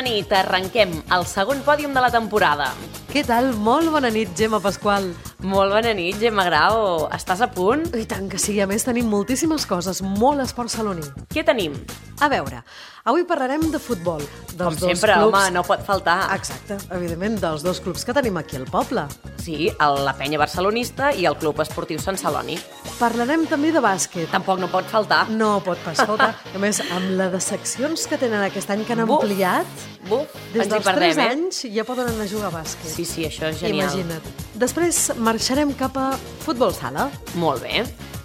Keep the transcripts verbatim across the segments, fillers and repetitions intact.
nit, arrenquem el segon pòdium de la temporada. Què tal? Molt bona nit, Gemma Pasqual. Molt bona nit, Gemma Grau. Estàs a punt? I tant que sí, a més tenim moltíssimes coses, molt esport saloní. Què tenim? A veure, avui parlarem de futbol. Dels Com dos sempre, clubs... home, no pot faltar. Exacte, evidentment, dels dos clubs que tenim aquí al poble. Sí, el, la Penya Barcelonista i el Club Esportiu Sant Celoni. Parlarem també de bàsquet. Tampoc no pot faltar. No pot pas faltar. A més, amb la de seccions que tenen aquest any que han Buf, ampliat, buf, des ens hi dels perdem, tres eh? anys ja poden anar a jugar a bàsquet. Sí, sí, això és genial. Imagina't. Després marxarem cap a futbol sala. Molt bé.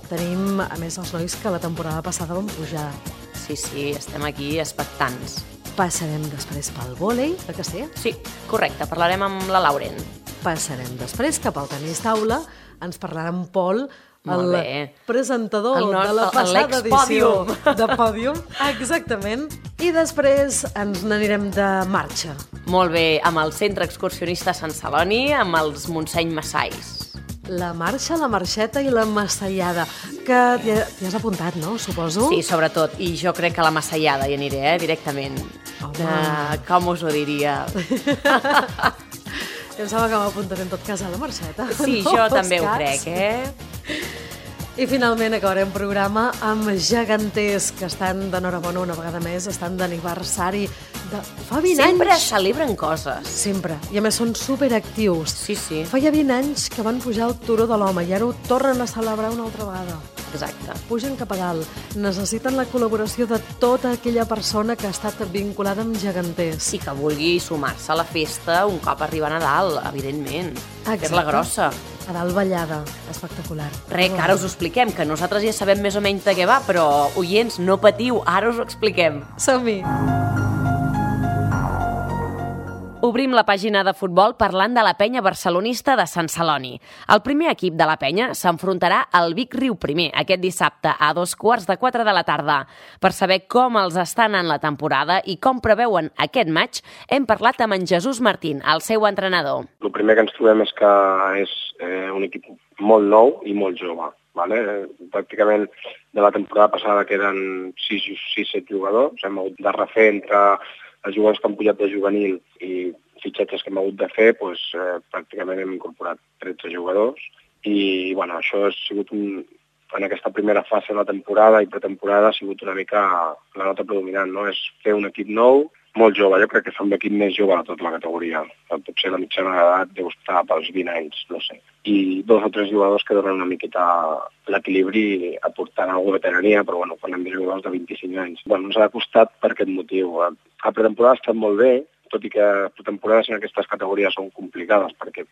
Tenim, a més, els nois que la temporada passada van pujar. Sí, sí, estem aquí expectants. Passarem després pel vòlei, oi que sí? Sí, correcte, parlarem amb la Lauren. Passarem després cap al tenis taula, ens parlarà en Pol, el Molt bé. presentador El no- de la el- passada edició l'ex-pòdium. de Pòdium. Exactament. I després ens n'anirem de marxa. Molt bé, amb el Centre Excursionista Sant Celoni, amb els Montseny Massais. La marxa, la marxeta i la massallada, que t'hi t'hi has apuntat, no? Suposo. Sí, sobretot, i jo crec que a la Massallada hi aniré, eh, directament. Home. De, com us ho diria? Jo em sembla que m'apuntaré en tot cas a la marxeta. Sí, No jo fos també ho cas. crec, eh? I finalment acabarem programa amb geganters que estan d'enhorabona una vegada més, estan d'aniversari de fa vint Sempre anys. celebren coses. Sempre. I a més són superactius. Sí, sí, Feia vint anys que van pujar al turó de l'home i ara ho tornen a celebrar una altra vegada. exacte. Pugen cap a dalt. Necessiten la col·laboració de tota aquella persona que ha estat vinculada amb geganters. I que vulgui sumar-se a la festa un cop arriba a Nadal, evidentment. Fer-la grossa. A dalt ballada. Espectacular. Res, que ara us ho expliquem, que nosaltres ja sabem més o menys de què va, però, oients, no patiu, ara us ho expliquem. Som-hi! Obrim la pàgina de futbol parlant de la Penya Barcelonista de Sant Celoni. El primer equip de la Penya s'enfrontarà al Vic Riu Primer aquest dissabte a dos quarts de quatre de la tarda. Per saber com els està anant la temporada i com preveuen aquest maig, hem parlat amb en Jesús Martín, el seu entrenador. El primer que ens trobem és que és eh, un equip molt nou i molt jove. Vale? Pràcticament de la temporada passada queden sis set jugadors. Hem hagut de refer entre els jugadors que han pujat de juvenil i fitxatges que hem hagut de fer, doncs, eh, pràcticament hem incorporat tretze jugadors. I bueno, això ha sigut un, en aquesta primera fase de la temporada i pretemporada ha sigut una mica la nota predominant, no? És fer un equip nou, molt jove. Jo crec que som l'equip més jove de tota la categoria. Potser la mitjana d'edat deu estar pels vint anys, no sé. I dos o tres jugadors que donen una miqueta l'equilibri aportant alguna veterania, però bueno, parlem de jugadors de vint-i-cinc anys. Bueno, ens ha costat per aquest motiu. La pretemporada ha estat molt bé, tot i que pretemporades en aquestes categories són complicades, perquè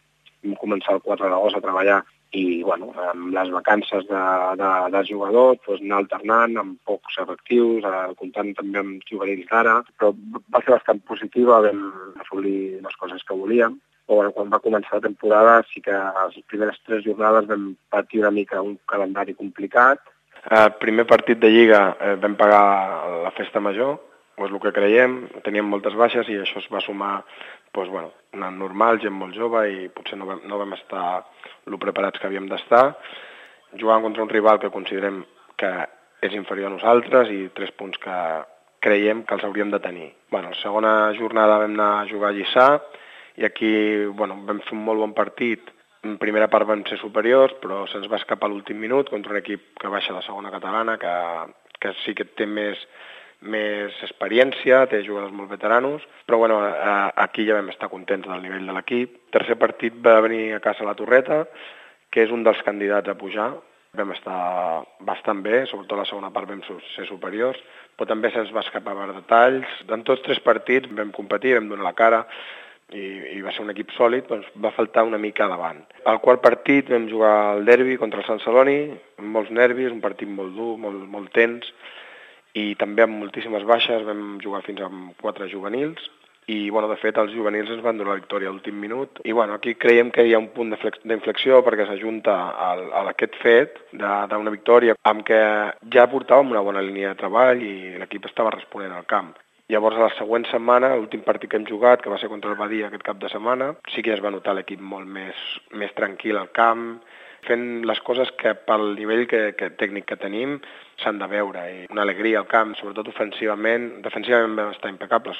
vam començar el quatre d'agost a treballar i bueno, amb les vacances de, de, dels jugadors, doncs, anar alternant amb pocs efectius, eh, comptant també amb juvenils d'ara, però va ser bastant positiva, vam assolir les coses que volíem. Però bueno, quan va començar la temporada sí que les primeres tres jornades vam patir una mica un calendari complicat. El primer partit de Lliga eh, vam pagar la festa major, o és el que creiem, teníem moltes baixes i això es va sumar, doncs, bueno, anant normal, gent molt jove i potser no vam, no vam estar el preparats que havíem d'estar. Jugàvem contra un rival que considerem que és inferior a nosaltres i tres punts que creiem que els hauríem de tenir. Bueno, la segona jornada vam anar a jugar a Lliçà i aquí bueno, vam fer un molt bon partit. En primera part vam ser superiors, però se'ns va escapar a l'últim minut contra un equip que baixa a la segona catalana, que, que sí que té més, més experiència, té jugadors molt veteranos, però bueno, aquí ja vam estar contents del nivell de l'equip. El tercer partit va venir a casa la Torreta, que és un dels candidats a pujar. Vam estar bastant bé, sobretot la segona part vam ser superiors, però també se'ns va escapar per detalls. En tots tres partits vam competir, vam donar la cara, i, i va ser un equip sòlid, doncs va faltar una mica davant. Al quart partit vam jugar al derbi contra el Sant Celoni, amb molts nervis, un partit molt dur, molt, molt tens, i també amb moltíssimes baixes, vam jugar fins amb quatre juvenils, i bueno, de fet els juvenils ens van donar la victòria a l'últim minut, i bueno, aquí creiem que hi ha un punt d'inflexió perquè s'ajunta a aquest fet d'una victòria amb què ja portàvem una bona línia de treball i l'equip estava responent al camp. Llavors, a la següent setmana, l'últim partit que hem jugat, que va ser contra el Badia aquest cap de setmana, sí que ja es va notar l'equip molt més, més tranquil al camp, fent les coses que pel nivell que, que, tècnic que tenim s'han de veure. I una alegria al camp, sobretot ofensivament. Defensivament vam estar impecables.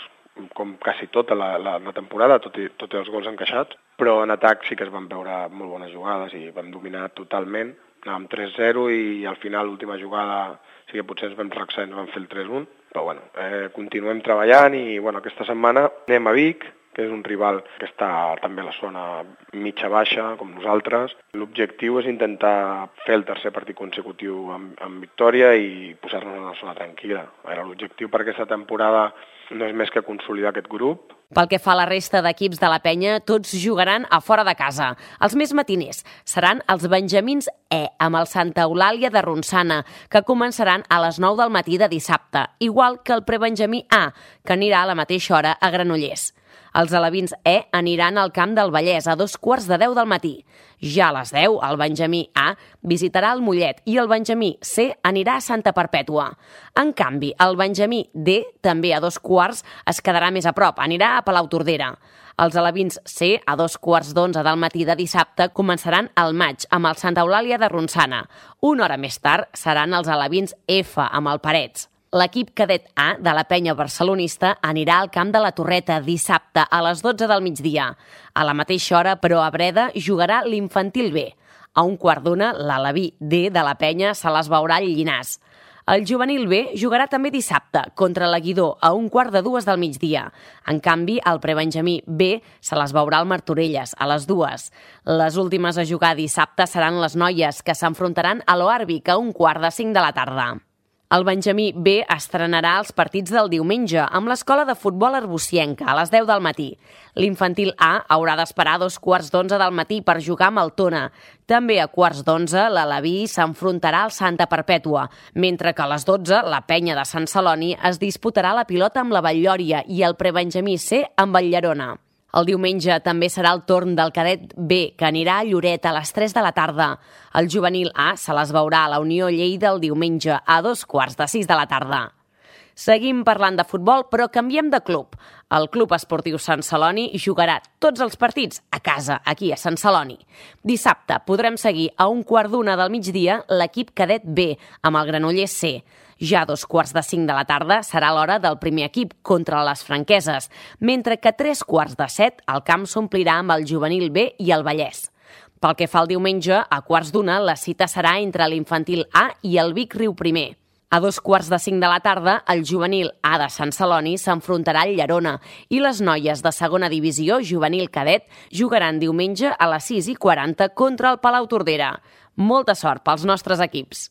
com quasi tota la, la, la temporada, tot i, tot i els gols encaixats, però en atac sí que es van veure molt bones jugades i vam dominar totalment. Anàvem tres zero i al final l'última jugada sí que potser ens vam relaxar i ens vam fer el tres un, però bueno, eh, continuem treballant i bueno, aquesta setmana anem a Vic, que és un rival que està també a la zona mitja-baixa, com nosaltres. L'objectiu és intentar fer el tercer partit consecutiu amb, amb victòria i posar-nos en una zona tranquil·la. L'objectiu per aquesta temporada no és més que consolidar aquest grup. Pel que fa a la resta d'equips de la penya, tots jugaran a fora de casa. Els més matiners seran els benjamins E, amb el Santa Eulàlia de Ronçana, que començaran a les nou del matí de dissabte, igual que el prebenjamí A, que anirà a la mateixa hora a Granollers. Els alevins E aniran al Camp del Vallès a dos quarts de deu del matí. Ja a les deu, el benjamí A visitarà el Mollet i el benjamí C anirà a Santa Perpètua. En canvi, el benjamí D, també a dos quarts, es quedarà més a prop, anirà a Palautordera. Els alevins C, a dos quarts d'onze del matí de dissabte, començaran al maig amb el Santa Eulàlia de Ronçana. Una hora més tard seran els alevins F amb el Parets. L'equip cadet A de la penya barcelonista anirà al Camp de la Torreta dissabte a les dotze del migdia. A la mateixa hora, però, a Breda jugarà l'infantil B. A un quart d'una, l'aleví D de la penya se les veurà al Llinars. El juvenil B jugarà també dissabte contra la Guidó a un quart de dues del migdia. En canvi, el prebenjamí B se les veurà al Martorelles a les dues. Les últimes a jugar dissabte seran les noies, que s'enfrontaran a l'Oàrbic a un quart de cinc de la tarda. El benjamí B estrenarà els partits del diumenge amb l'escola de futbol arbocienca a les deu del matí. L'infantil A haurà d'esperar a dos quarts d'onze del matí per jugar amb el Tona. També a quarts d'onze l'Aleví s'enfrontarà al Santa Perpètua, mentre que a les dotze la penya de Sant Celoni es disputarà la pilota amb la Batllòria i el prebenjamí C amb el Llerona. El diumenge també serà el torn del cadet B, que anirà a Lloret a les tres de la tarda. El juvenil A se les veurà a la Unió Lleida el diumenge a dos quarts de sis de la tarda. Seguim parlant de futbol, però canviem de club. El Club Esportiu Sant Celoni jugarà tots els partits a casa, aquí a Sant Celoni. Dissabte podrem seguir a un quart d'una del migdia l'equip cadet B, amb el Granollers C. Ja a dos quarts de cinc de la tarda serà l'hora del primer equip contra les franqueses, mentre que a tres quarts de set el camp s'omplirà amb el juvenil B i el Vallès. Pel que fa al diumenge, a quarts d'una la cita serà entre l'infantil A i el Vic Riu Primer. A dos quarts de cinc de la tarda, el juvenil A de Sant Celoni s'enfrontarà al Llerona i les noies de segona divisió juvenil cadet jugaran diumenge a les sis i quaranta contra el Palautordera. Molta sort pels nostres equips.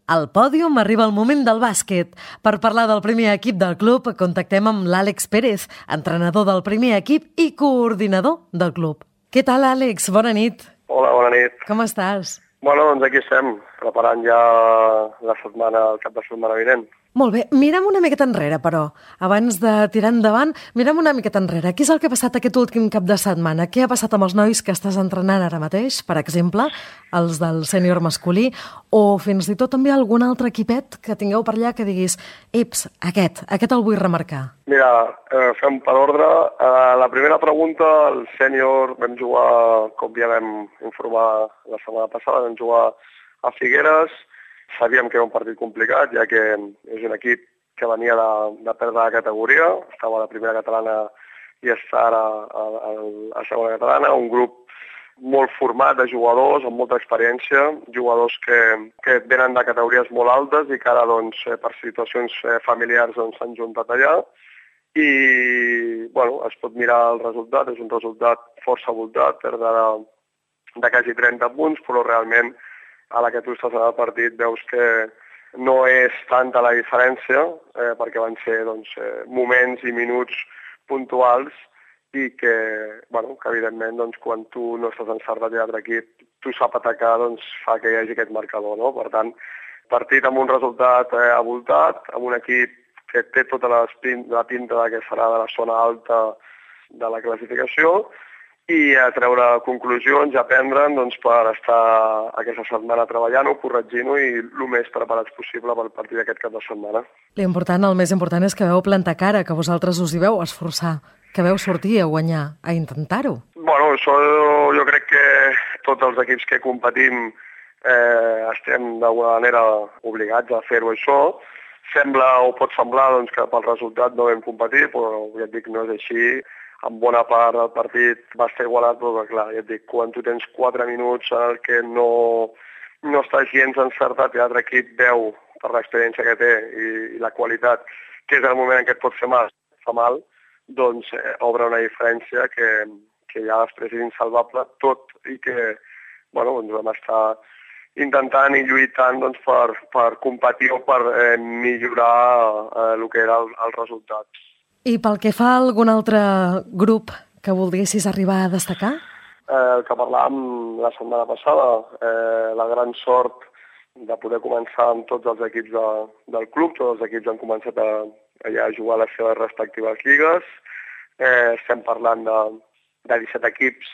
Al pòdium arriba el moment del bàsquet. Per parlar del primer equip del club, contactem amb l'Àlex Pérez, entrenador del primer equip i coordinador del club. Què tal, Àlex? Bona nit. Hola, bona nit. Com estàs? Bueno, doncs aquí estem, preparant ja la setmana, el cap de setmana vinent. Molt bé, mirem una miqueta enrere, però. Abans de tirar endavant, mirem una miqueta enrere. Què és el que ha passat aquest últim cap de setmana? Què ha passat amb els nois que estàs entrenant ara mateix, per exemple, els del sènior masculí, o fins i tot també algun altre equipet que tingueu per allà que diguis eps, aquest, aquest el vull remarcar? Mira, eh, fem per ordre. Eh, la primera pregunta, el sènior vam jugar, com ja vam informar la setmana passada, vam jugar a Figueres. Sabíem que era un partit complicat, ja que és un equip que venia de, de perdre la categoria, estava a la primera catalana i està ara a, a, a segona catalana, un grup molt format de jugadors, amb molta experiència, jugadors que, que venen de categories molt altes i que ara, doncs, per situacions familiars doncs, s'han juntat allà. I, bueno, es pot mirar el resultat, és un resultat força voltat, perdre de, de quasi trenta punts, però realment a la que tu estàs en el partit veus que no és tanta la diferència, eh, perquè van ser doncs, eh, moments i minuts puntuals i que, bueno, que evidentment doncs, quan tu no estàs encertat i l'altre equip, tu sap atacar, doncs, fa que hi hagi aquest marcador. No? Per tant, partit amb un resultat eh, avoltat, amb un equip que té tota la pinta que serà de la zona alta de la classificació, i a treure conclusions i aprendre'n doncs, per estar aquesta setmana treballant-ho, corregint-ho i el més preparats possible pel partit d'aquest cap de setmana. L'important, el més important és que veu plantar cara, que vosaltres us hi veu esforçar, que veu sortir a guanyar, a intentar-ho. Bueno, això jo crec que tots els equips que competim eh, estem d'alguna manera obligats a fer-ho això. sembla o pot semblar doncs, que pel resultat no vam competir, però ja et dic, no és així. En bona part del partit va estar igualat, però clar, ja et dic, quan tu tens quatre minuts en el que no, no estàs gens encertat i l'altre equip veu, per l'experiència que té i, i la qualitat, que és el moment en què et pot fer mal, fa mal, doncs eh, obre una diferència que, que ja després és insalvable, tot i que bueno, doncs vam estar intentant i lluitant doncs, per, per competir o per eh, millorar eh, el que era el, el resultat. I pel que fa a algun altre grup que volguessis arribar a destacar? Eh, el que parlàvem la setmana passada, eh, la gran sort de poder començar amb tots els equips de, del club, tots els equips han començat a, a jugar a les seves respectives lligues. Eh, estem parlant de, de disset equips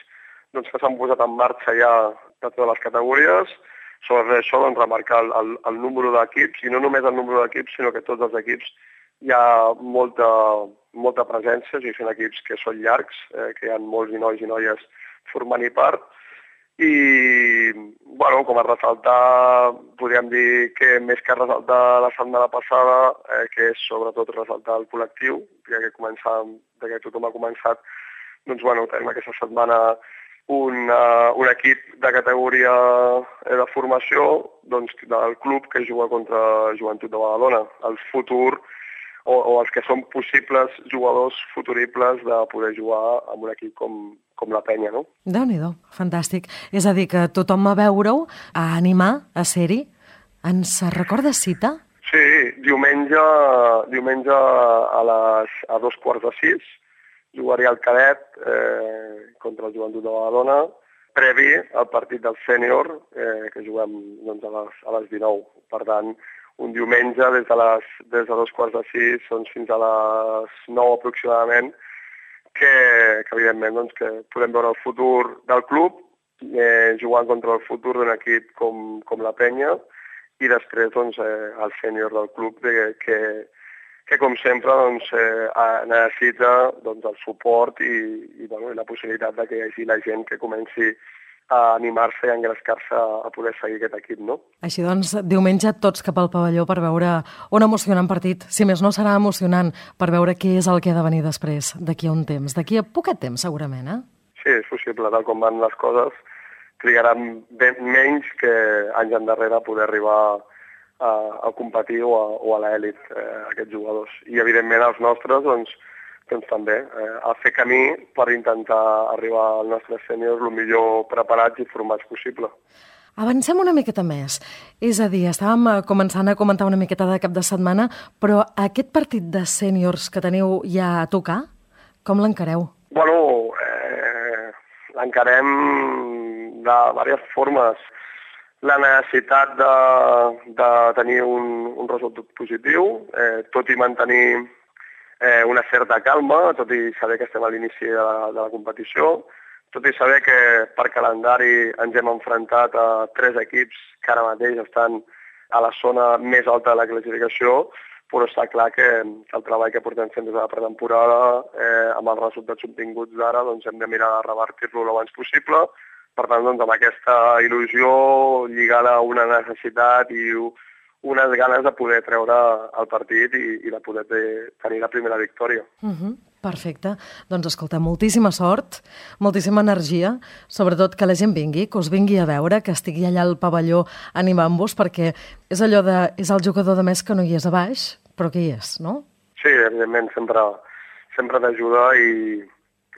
doncs, que s'han posat en marxa ja de totes les categories. Sobre això, doncs, remarcar el, el, el número d'equips, i no només el número d'equips, sinó que tots els equips hi ha molta, molta presència, o sigui, són equips que són llargs, eh, que hi ha molts i nois i noies formant-hi part, i, bueno, com a ressaltar, podríem dir que més que ressaltar la setmana passada, eh, que és sobretot ressaltar el col·lectiu, ja que, començam, que tothom ha començat, doncs, bueno, tenim aquesta setmana Un, uh, un equip de categoria de formació doncs, del club que juga contra Joventut de Badalona. El futur o, o els que són possibles jugadors futuribles de poder jugar amb un equip com, com la Penya, no? Déu-n'hi-do, fantàstic. És a dir, que tothom a veure-ho, a animar, a ser-hi. Ens recorda cita? Sí, diumenge, diumenge a, les, a dos quarts de sis jugaria el cadet eh, contra el Joventut de Badalona, previ al partit del sènior, eh, que juguem doncs, a, les, a les dinou. Per tant, un diumenge des de, les, des de dos quarts de sis doncs, fins a les nou aproximadament, que, que evidentment doncs, que podem veure el futur del club, eh, jugant contra el futur d'un equip com, com la Penya, i després doncs, eh, el sènior del club de, que, que com sempre doncs, eh, necessita doncs, el suport i, i, bueno, i la possibilitat de que hi hagi la gent que comenci a animar-se i a engrescar-se a poder seguir aquest equip, no? Així doncs, diumenge tots cap al pavelló per veure un emocionant partit. Si més no, serà emocionant per veure què és el que ha de venir després, d'aquí a un temps, d'aquí a poquet temps, segurament, eh? Sí, és possible, tal com van les coses, trigaran ben menys que anys endarrere poder arribar a, a competir o a, o a l'elit, eh, aquests jugadors. I, evidentment, els nostres, doncs, doncs també, eh, a fer camí per intentar arribar als nostres sèniors el millor preparats i formats possible. Avancem una miqueta més. És a dir, estàvem començant a comentar una miqueta de cap de setmana, però aquest partit de sèniors que teniu ja a tocar, com l'encareu? Bueno, eh, l'encarem de diverses formes. La necessitat de, de tenir un, un resultat positiu, eh, tot i mantenir eh, una certa calma, tot i saber que estem a l'inici de, la, de la competició, tot i saber que per calendari ens hem enfrontat a tres equips que ara mateix estan a la zona més alta de la classificació, però està clar que el treball que portem fent des de la pretemporada, eh, amb els resultats obtinguts d'ara, doncs hem de mirar de revertir-lo el abans possible. Per tant, doncs, amb aquesta il·lusió lligada a una necessitat i unes ganes de poder treure el partit i, i de poder tenir la primera victòria. Uh-huh. Perfecte. Doncs escolta, moltíssima sort, moltíssima energia, sobretot que la gent vingui, que us vingui a veure, que estigui allà al pavelló animant-vos, perquè és allò de... és el jugador de més que no hi és a baix, però que hi és, no? Sí, evidentment, sempre, sempre t'ajuda i,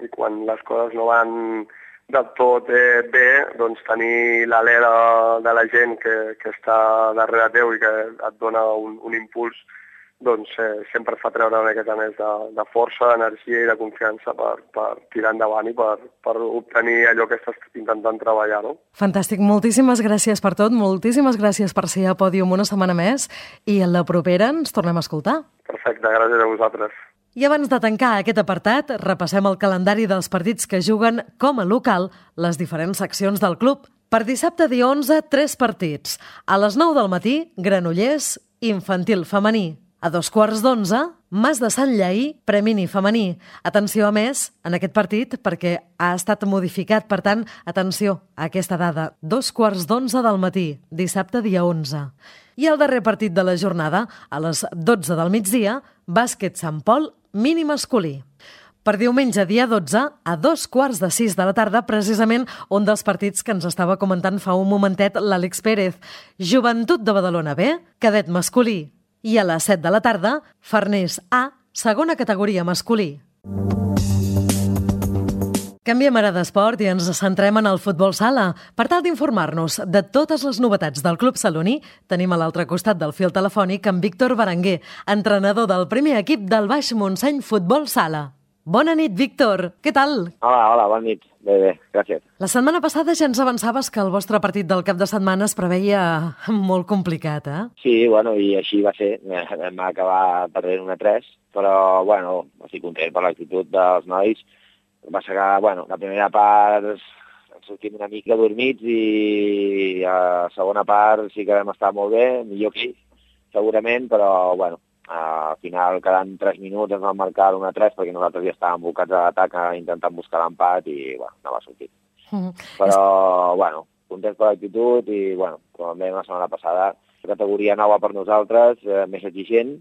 i quan les coses no van del tot eh, bé, doncs tenir l'alè de, de la gent que, que està darrere teu i que et dona un, un impuls, doncs eh, sempre fa treure una miqueta més de, de força, d'energia i de confiança per, per tirar endavant i per, per obtenir allò que estàs intentant treballar, no? Fantàstic, moltíssimes gràcies per tot, moltíssimes gràcies per ser a Pòdium una setmana més i en la propera ens tornem a escoltar. Perfecte, gràcies a vosaltres. I abans de tancar aquest apartat, repassem el calendari dels partits que juguen com a local les diferents seccions del club. Per dissabte, dia onze, tres partits. A les nou del matí, Granollers, infantil femení. A dos quarts d'onze, Mas de Sant Lleí, premini femení. Atenció, a més, en aquest partit, perquè ha estat modificat, per tant, atenció a aquesta dada. Dos quarts d'onze del matí, dissabte, dia onze. I el darrer partit de la jornada, a les dotze del migdia, bàsquet Sant Pol, mini masculí. Per diumenge, dia dotze, a dos quarts de sis de la tarda, precisament un dels partits que ens estava comentant fa un momentet l'Àlex Pérez. Joventut de Badalona B, cadet masculí. I a les set de la tarda, Farners A, segona categoria masculí. Canviem ara d'esport i ens centrem en el futbol sala. Per tal d'informar-nos de totes les novetats del Club Saloní, tenim a l'altre costat del fil telefònic en Víctor Berenguer, entrenador del primer equip del Baix Montseny Futbol Sala. Bona nit, Víctor. Què tal? Hola, hola, bona nit. Bé, bé, gràcies. La setmana passada ja ens avançaves que el vostre partit del cap de setmana es preveia molt complicat, eh? Sí, bueno, i així va ser. Vam acabar perdent una tres, però, bueno, estic content per l'actitud dels nois. Va ser que, bueno, la primera part ens sortim una mica dormits i a la segona part sí que vam estar molt bé, millor que ells, segurament, però, bueno, al final, quedant tres minuts, ens van marcar una tres perquè nosaltres ja estàvem bocats a l'atac intentant buscar l'empat i, bueno, no va sortir. Mm. Però, bueno, contents per l'actitud i, bueno, com dèiem la setmana passada, categoria nova per nosaltres, eh, més exigent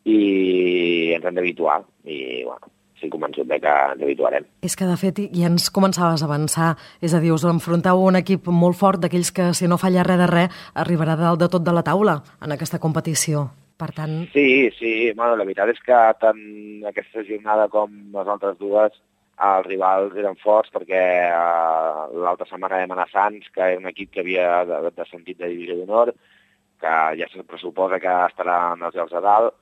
i ens hem d'habituar. I, bueno, estic convençut de que ens habituarem. És que, de fet, ja ens començaves a avançar, és a dir, us enfronteu a un equip molt fort d'aquells que, si no falla res de res, arribarà dalt de tot de la taula en aquesta competició. Per tant... Sí, sí, bueno, la veritat és que tant aquesta jornada com les altres dues els rivals eren forts perquè uh, l'altra setmana vam anar a Sants, que era un equip que havia descendit de divisió d'honor, que ja se pressuposa que estarà en els llocs de dalt,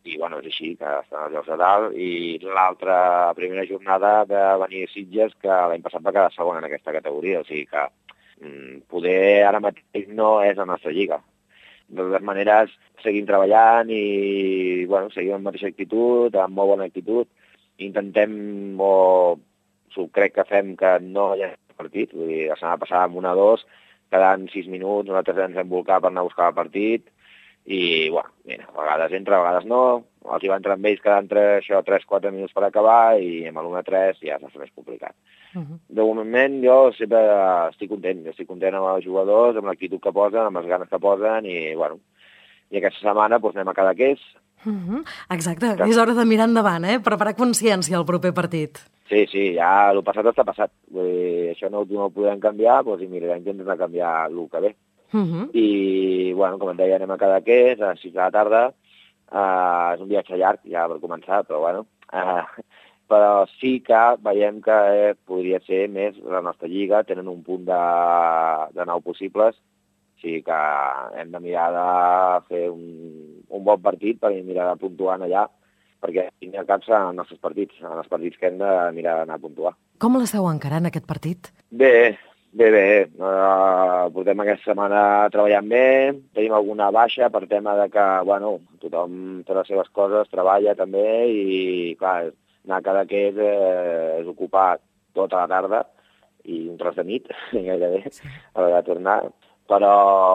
i bueno, és així, que estan als llocs de dalt, i l'altra primera jornada de venir a Sitges, que l'any passat va quedar segon en aquesta categoria, o sigui que mm, poder ara mateix no és la nostra lliga. De totes maneres, seguim treballant i, bueno, seguim amb la mateixa actitud, amb molt bona actitud. Intentem, o crec que fem que no hi ha partit, vull dir, la setmana passada amb una a dos, quedant sis minuts, nosaltres ens hem volcat per anar a buscar el partit, i, bueno, mira, a vegades entra, a vegades no, els hi va entrar amb ells quedant tres quatre minuts per acabar, i amb l'un a tres ja és més complicat. Uh-huh. De moment jo sempre estic content, estic content amb els jugadors, amb l'actitud que posen, amb les ganes que posen, i, bueno, i aquesta setmana doncs, anem a Cadaqués. Uh-huh. Exacte, que... és hora de mirar endavant, eh? Preparar consciència al proper partit. Sí, sí, ja el passat està passat. Vull dir, això no, no ho podem canviar, doncs, i mira, intentem canviar el que ve. Uh-huh. I, bueno, com et deia, anem a Cadaqués a les sis de la tarda. Uh, és un viatge llarg, ja per començar, però, bueno... Uh, però sí que veiem que eh, podria ser més la nostra lliga, tenen un punt de, de nou possibles, o sigui que hem de mirar de fer un, un bon partit per mirar de puntuar allà, perquè al cap seran els nostres partits, en els partits que hem de mirar d'anar a puntuar. Com l'esteu encarant, aquest partit? Bé, bé, bé. Uh, portem aquesta setmana treballant bé, tenim alguna baixa per tema de que, bueno, tothom té les seves coses, treballa també i, clar, anar a Cadaqués eh, és ocupar tota la tarda i un tros de nit, gairebé, sí. A l'hora de tornar. Però,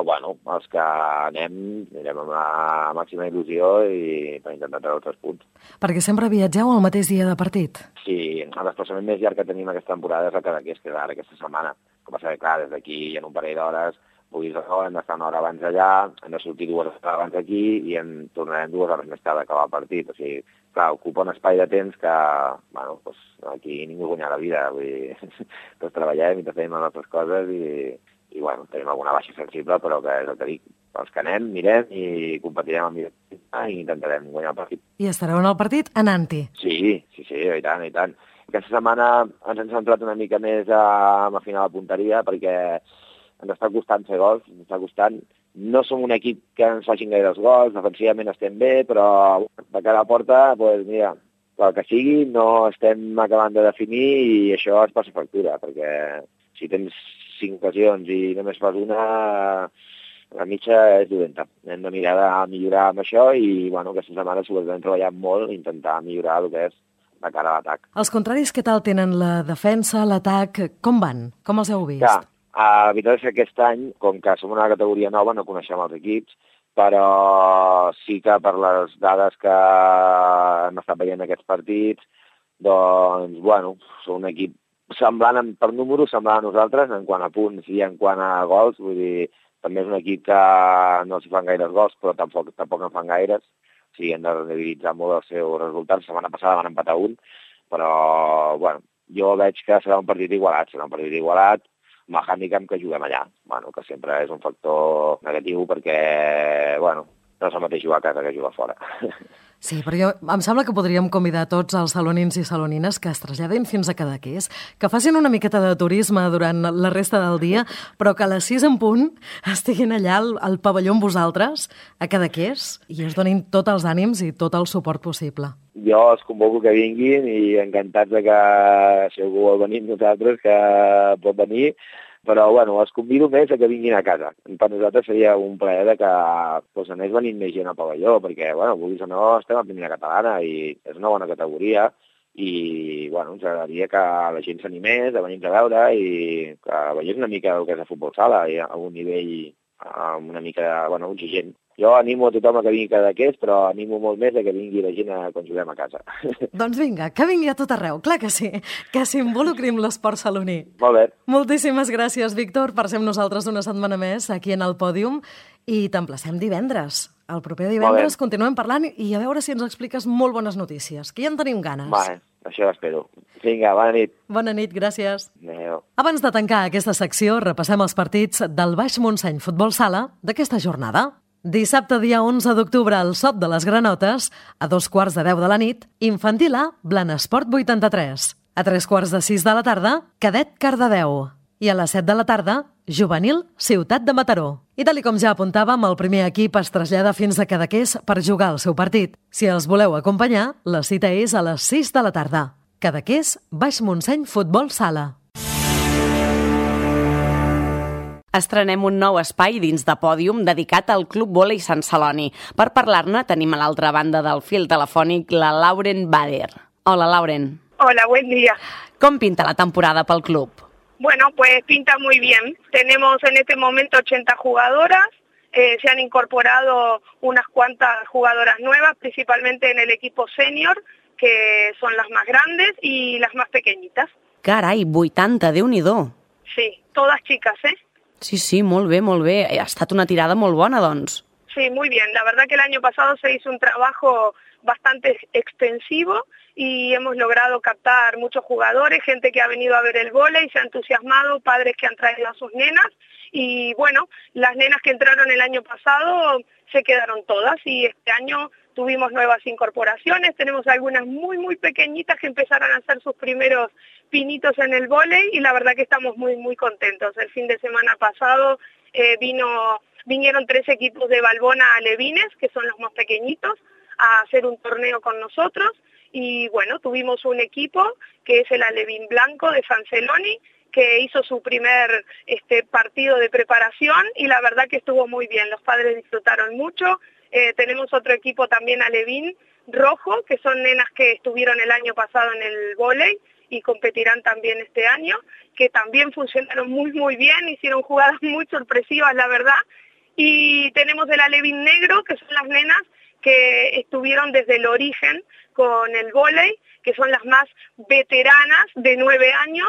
bueno, els que anem, anirem amb la màxima il·lusió i per intentar treure tres punts. Perquè sempre viatgeu el mateix dia de partit? Sí, el desplaçament més llarg que tenim aquesta temporada és a Cadaqués, que és ara aquesta setmana. Com passa que, clar, des d'aquí hi ha un parell d'hores, puguis això, hem d'estar una hora abans allà, hem de sortir dues hores abans aquí i en tornarem dues hores més tard d'acabar el partit. O sigui, clar, ocupa un espai de temps que, bueno, doncs, aquí ningú guanya la vida. Vull dir, tots treballem i tots tenim les nostres coses i, i, bueno, tenim alguna baixa sensible, però que és el que dic. Els que anem, mirem i competirem amb millor i intentarem guanyar el partit. I estareu en el partit anant-hi? Sí, sí, sí, i tant, i tant. Aquesta setmana ens hem centrat una mica més a, a afinar la punteria perquè ens està costant fer gols, ens està costant. No som un equip que ens facin gaire els gols, defensivament estem bé, però de cara a la porta, doncs mira, pel que sigui, no estem acabant de definir i això es passa factura, perquè si tens cinc ocasions i només fas una, la mitja és dolenta. Hem de mirar de millorar amb això i, bueno, aquesta setmana sobretot hem treballat molt, intentar millorar el que és de cara a l'atac. Els contraris, què tal tenen la defensa, l'atac? Com van? Com els heu vist? Ja. La veritat és que aquest any, com que som una categoria nova, no coneixem els equips, però sí que per les dades que hem estat veient aquests partits, doncs, bueno, som un equip semblant per números, semblant a nosaltres, en quant a punts i en quant a gols, vull dir, també és un equip que no s'hi fan gaires gols, però tampoc, tampoc en fan gaires. O sigui, hem de rendibilitzar molt els seus resultats. La setmana passada van empatar un, però, bueno, jo veig que serà un partit igualat, serà un partit igualat, amb el hàndicap que juguem allà, bueno, que sempre és un factor negatiu perquè, bueno, no és el mateix jugar a casa que jugar fora. Sí, però jo, em sembla que podríem convidar tots els salonins i salonines que es traslladin fins a Cadaqués, que facin una miqueta de turisme durant la resta del dia, però que a les sis en punt estiguin allà al, al pavelló amb vosaltres, a Cadaqués, i us donin tots els ànims i tot el suport possible. Jo els convoco que vinguin i encantats de que si algú vol venir amb nosaltres, que pot venir, però bueno, els convido més a que vinguin a casa. Per nosaltres seria un plaer de que doncs, anés venint més gent al pavelló, perquè, bueno, vulguis o no, estem a primera catalana i és una bona categoria i, bueno, ens agradaria que la gent s'animés a venir a veure i que veiés una mica el que és el futbol sala i a un nivell una mica, bueno, exigent. Jo animo a tothom a que vingui a Cadaqués, però animo molt més a que vingui la gent a, quan juguem a casa. Doncs vinga, que vingui a tot arreu, clar que sí, que s'involucri amb l'esport saloní. Molt bé. Moltíssimes gràcies, Víctor, per ser amb nosaltres una setmana més aquí en el pòdium i t'emplacem divendres. El proper divendres continuem parlant i a veure si ens expliques molt bones notícies, que ja en tenim ganes. Vale, això espero. Vinga, bona nit. Bona nit, gràcies. Adéu. Abans de tancar aquesta secció, repassem els partits del Baix Montseny Futbol Sala d'aquesta jornada. Dissabte, dia onze d'octubre, al Sot de les Granotes, a dos quarts de deu de la nit, Infantil A, Blanesport vuitanta-tres. A tres quarts de sis de la tarda, Cadet Cardedeu. I a les set de la tarda, Juvenil, Ciutat de Mataró. I tal com ja apuntàvem, el primer equip es trasllada fins a Cadaqués per jugar el seu partit. Si els voleu acompanyar, la cita és a les sis de la tarda. Cadaqués, Baix Montseny Futbol Sala. Estrenem un nou espai dins de Pòdium dedicat al Club Vòlei Sant Celoni. Per parlar-ne tenim a l'altra banda del fil telefònic la Lauren Bader. Hola, Lauren. Hola, buen día. Com pinta la temporada pel club? Bueno, pues pinta muy bien. Tenemos en este momento ochenta jugadoras, eh, se han incorporado unas cuantas jugadoras nuevas, principalmente en el equipo senior, que son las más grandes y las más pequeñitas. Carai, vuitanta, Déu-n'hi-do. Sí, todas chicas, ¿eh? Sí, sí, molt bé, molt bé. Ha estat una tirada molt bona, doncs. Sí, muy bien. La verdad que el año pasado se hizo un trabajo bastante extensivo y hemos logrado captar muchos jugadores, gente que ha venido a ver el vóley, se ha entusiasmado, padres que han traído a sus nenas y bueno, las nenas que entraron el año pasado se quedaron todas y este año tuvimos nuevas incorporaciones, tenemos algunas muy muy pequeñitas que empezaron a hacer sus primeros pinitos en el vóley y la verdad que estamos muy muy contentos. El fin de semana pasado eh, vino vinieron tres equipos de Valbona alevines, que son los más pequeñitos, a hacer un torneo con nosotros y bueno, tuvimos un equipo que es el Alevín Blanco de San Celoni, que hizo su primer este, partido de preparación y la verdad que estuvo muy bien, los padres disfrutaron mucho. Eh, tenemos otro equipo también Alevín Rojo, que son nenas que estuvieron el año pasado en el vóley y competirán también este año, que también funcionaron muy muy bien, hicieron jugadas muy sorpresivas la verdad. Y tenemos el Alevín Negro, que son las nenas que estuvieron desde el origen con el vóley, que son las más veteranas de nueve años,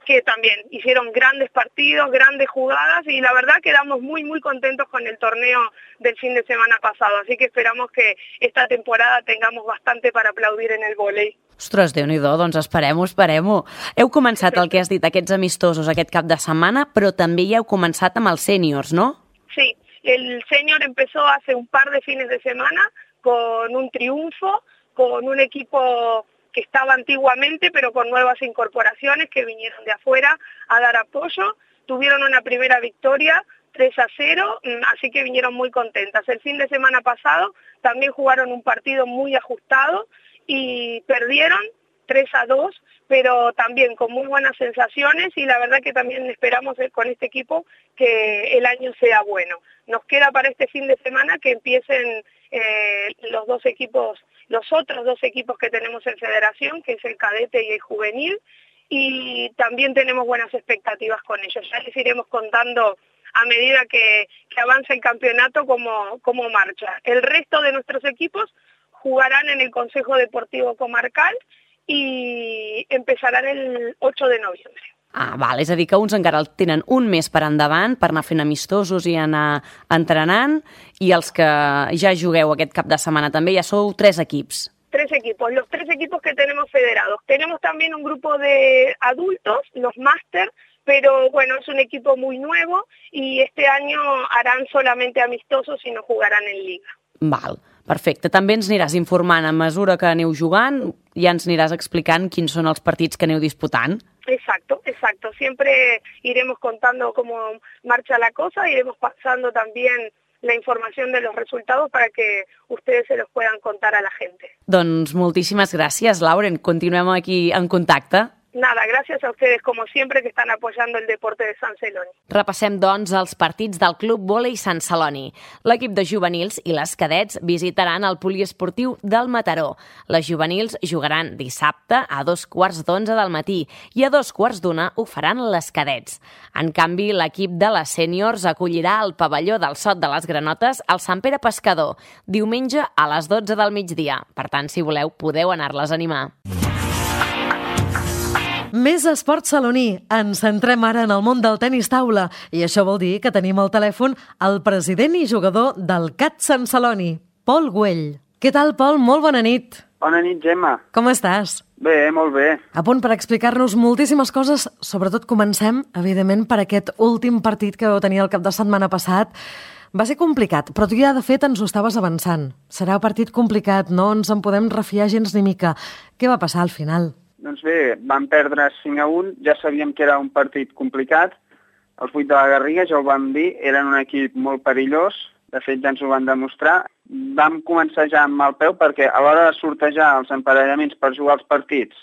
que también hicieron grandes partidos, grandes jugadas y la verdad quedamos muy muy contentos con el torneo del fin de semana pasado, así que esperamos que esta temporada tengamos bastante para aplaudir en el vóley. Ostres, Déu-n'hi-do, doncs esperem-ho, esperem-ho. Heu començat el que has dit, aquests amistosos aquest cap de setmana, però també ja heu començat amb els sèniors, no? Sí, el senior empezó hace un par de fines de semana con un triunfo, con un equipo que estaba antiguamente, pero con nuevas incorporaciones que vinieron de afuera a dar apoyo. Tuvieron una primera victoria, tres a cero, así que vinieron muy contentas. El fin de semana pasado también jugaron un partido muy ajustado y perdieron tres a dos, pero también con muy buenas sensaciones y la verdad que también esperamos con este equipo que el año sea bueno. Nos queda para este fin de semana que empiecen eh, los dos equipos, los otros dos equipos que tenemos en federación, que es el cadete y el juvenil, y también tenemos buenas expectativas con ellos. Ya les iremos contando a medida que, que avanza el campeonato cómo, cómo marcha. El resto de nuestros equipos jugarán en el Consejo Deportivo Comarcal y empezarán el ocho de noviembre. Ah, val, és a dir, que uns encara el tenen un mes per endavant per anar fent amistosos i anar entrenant, i els que ja jugueu aquest cap de setmana també ja sou tres equips. Tres equipos, los tres equipos que tenemos federados. Tenemos también un grupo de adultos, los máster, pero bueno, es un equipo muy nuevo y este año harán solamente amistosos y no jugarán en liga. Val, perfecte. També ens aniràs informant a mesura que aneu jugant, ja ens aniràs explicant quins són els partits que aneu disputant. Exacto, exacto. Siempre iremos contando cómo marcha la cosa, iremos pasando también la información de los resultados para que ustedes se los puedan contar a la gente. Doncs moltíssimes gràcies, Lauren. Continuem aquí en contacte. Nada, gracias a ustedes como siempre que están apoyando el deporte de Sant Celoni. Repassem, doncs, els partits del Club Vòlei Sant Celoni. L'equip de juvenils i les cadets visitaran el poliesportiu del Mataró. Les juvenils jugaran dissabte a dos quarts d'onze del matí i a dos quarts d'una ho faran les cadets. En canvi, l'equip de les sèniors acollirà al pavelló del Sot de les Granotes al Sant Pere Pescador, diumenge a les dotze del migdia. Per tant, si voleu, podeu anar-les a animar. Més esport saloní. Ens centrem ara en el món del tenis taula i això vol dir que tenim al telèfon el president i jugador del C A T Sant Celoni, Pol Güell. Què tal, Pol? Molt bona nit. Bona nit, Gemma. Com estàs? Bé, molt bé. A punt per explicar-nos moltíssimes coses. Sobretot comencem, evidentment, per aquest últim partit que vau tenir el cap de setmana passat. Va ser complicat, però tu ja, de fet, ens ho estaves avançant. Serà un partit complicat, no ens en podem refiar gens ni mica. Què va passar al final? Doncs bé, vam perdre cinc a un, ja sabíem que era un partit complicat. Els vuit de la Garriga, ja ho vam dir, eren un equip molt perillós, de fet ja ens ho van demostrar. Vam començar ja amb mal peu perquè a l'hora de sortejar els emparellaments per jugar els partits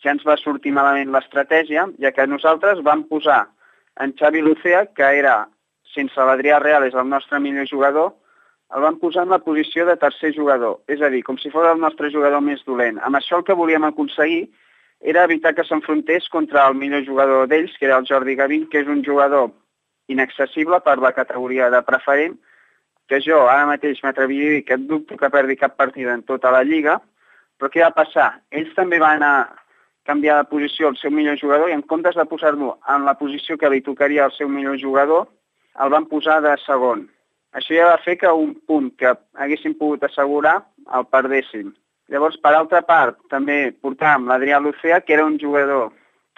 ja ens va sortir malament l'estratègia, ja que nosaltres vam posar en Xavi Lucea, que era, sense l'Adrià Reales, el nostre millor jugador, el vam posar en la posició de tercer jugador, és a dir, com si fos el nostre jugador més dolent. Amb això el que volíem aconseguir era evitar que s'enfrontés contra el millor jugador d'ells, que era el Jordi Gavín, que és un jugador inaccessible per la categoria de preferent, que jo ara mateix m'atreviria a dir que dubto que perdi cap partida en tota la Lliga, però què va passar? Ells també van a canviar de posició el seu millor jugador i en comptes de posar-lo en la posició que li tocaria al seu millor jugador, el van posar de segon. Això ja va fer que un punt que haguéssim pogut assegurar el perdéssim. Llavors, per altra part, també portàvem l'Adrià Lucea, que era un jugador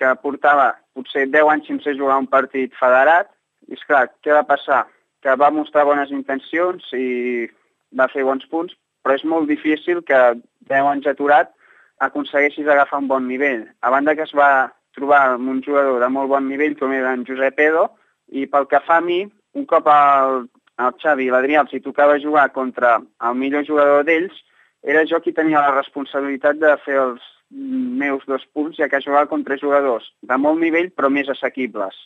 que portava potser deu anys sense jugar un partit federat. I, esclar, què va passar? Que va mostrar bones intencions i va fer bons punts, però és molt difícil que deu anys aturat aconsegueixis agafar un bon nivell. A banda que es va trobar amb un jugador de molt bon nivell, com era en Josep Edo, i pel que fa a mi, un cop el, el Xavi i l'Adrià els hi tocava jugar contra el millor jugador d'ells, era jo qui tenia la responsabilitat de fer els meus dos punts, ja que jugava contra jugadors de molt nivell però més assequibles.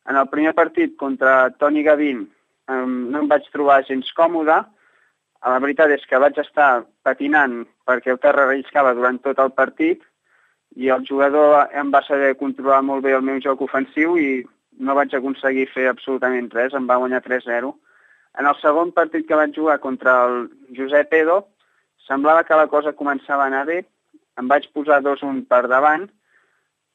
En el primer partit contra Toni Gavín no em vaig trobar gens còmode. La veritat és que vaig estar patinant perquè el terra relliscava durant tot el partit i el jugador em va saber controlar molt bé el meu joc ofensiu i no vaig aconseguir fer absolutament res, em va guanyar tres zero. En el segon partit que vaig jugar contra el Josep Edo, semblava que la cosa començava a anar bé, em vaig posar dos un per davant,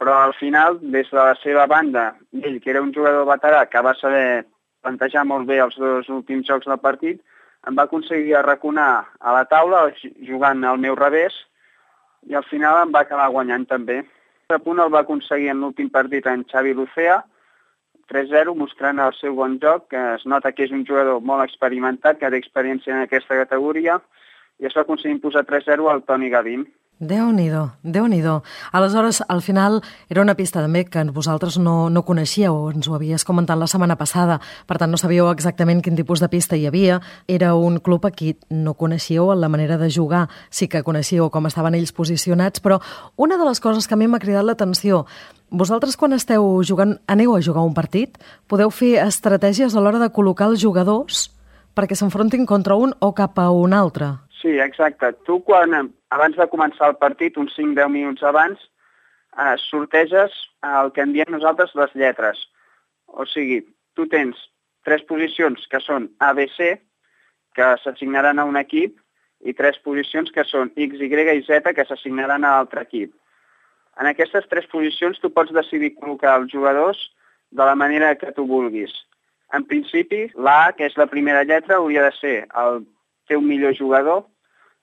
però al final, des de la seva banda, ell, que era un jugador veterà que va saber plantejar molt bé els dos últims jocs del partit, em va aconseguir arraconar a la taula jugant al meu revés i al final em va acabar guanyant també. A punt el va aconseguir en l'últim partit en Xavi Lucea, tres zero, mostrant el seu bon joc, que es nota que és un jugador molt experimentat, que té experiència en aquesta categoria, i es va aconseguir posar tres zero al Toni Gavín. Déu-n'hi-do, Déu-n'hi-do. Aleshores, al final, era una pista també que vosaltres no, no coneixíeu, ens ho havies comentat la setmana passada, per tant no sabíeu exactament quin tipus de pista hi havia. Era un club a qui no coneixíeu la manera de jugar, sí que coneixíeu com estaven ells posicionats, però una de les coses que a mi m'ha cridat l'atenció, vosaltres quan esteu jugant, aneu a jugar un partit, podeu fer estratègies a l'hora de col·locar els jugadors perquè s'enfrontin contra un o cap a un altre. Sí, exacte. Tu, quan, abans de començar el partit, uns cinc a deu minuts abans, eh, sorteges el que en diem nosaltres les lletres. O sigui, tu tens tres posicions que són A, B, C, que s'assignaran a un equip, i tres posicions que són X, Y i Z, que s'assignaran a l'altre equip. En aquestes tres posicions tu pots decidir col·locar els jugadors de la manera que tu vulguis. En principi, l'A, que és la primera lletra, hauria de ser el teu millor jugador,